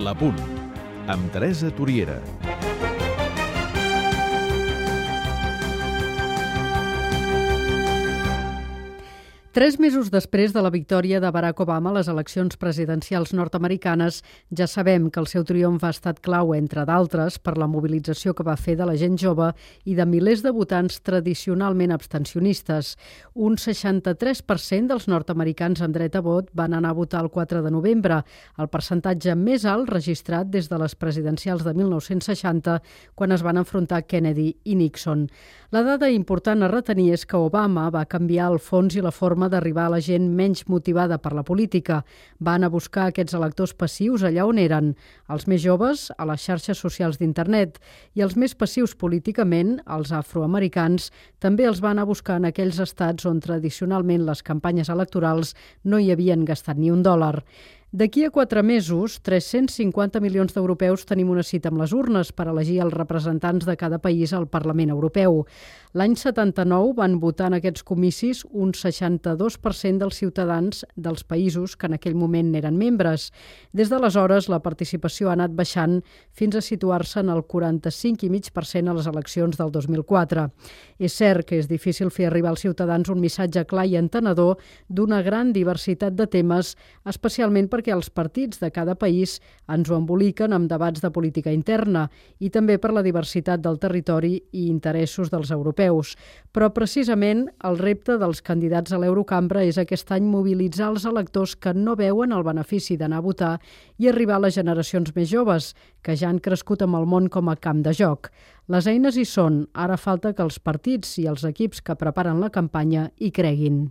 L'Apunt, amb Teresa Toriera. Tres mesos després de la victòria de Barack Obama a les eleccions presidencials nord-americanes, ja sabem que el seu triomf ha estat clau, entre d'altres, per la mobilització que va fer de la gent jove i de milers de votants tradicionalment abstencionistes. Un 63% dels nord-americans amb dret a vot van anar a votar el 4 de novembre, el percentatge més alt registrat des de les presidencials de 1960, quan es van enfrontar Kennedy i Nixon. La dada important a retenir és que Obama va canviar el fons i la forma d'arribar a la gent menys motivada per la política. Van a buscar aquests electors passius allà on eren, els més joves a les xarxes socials d'internet i els més passius políticament, els afroamericans, també els van a buscar en aquells estats on tradicionalment les campanyes electorals no hi havien gastat ni un dòlar. D'aquí a 4 mesos, 350 milions d'europeus tenim una cita amb les urnes per elegir els representants de cada país al Parlament Europeu. L'any 79 van votar en aquests comicis un 62% dels ciutadans dels països que en aquell moment n'eren membres. Des d'aleshores, la participació ha anat baixant fins a situar-se en el 45,5% a les eleccions del 2004. És cert que és difícil fer arribar als ciutadans un missatge clar i entenedor d'una gran diversitat de temes, especialment perquè els partits de cada país ens ho emboliquen amb debats de política interna i també per la diversitat del territori i interessos dels europeus. Però precisament el repte dels candidats a l'Eurocambra és aquest any mobilitzar els electors que no veuen el benefici d'anar a votar i arribar a les generacions més joves, que ja han crescut amb el món com a camp de joc. Les eines hi són, ara falta que els partits i els equips que preparen la campanya hi creguin.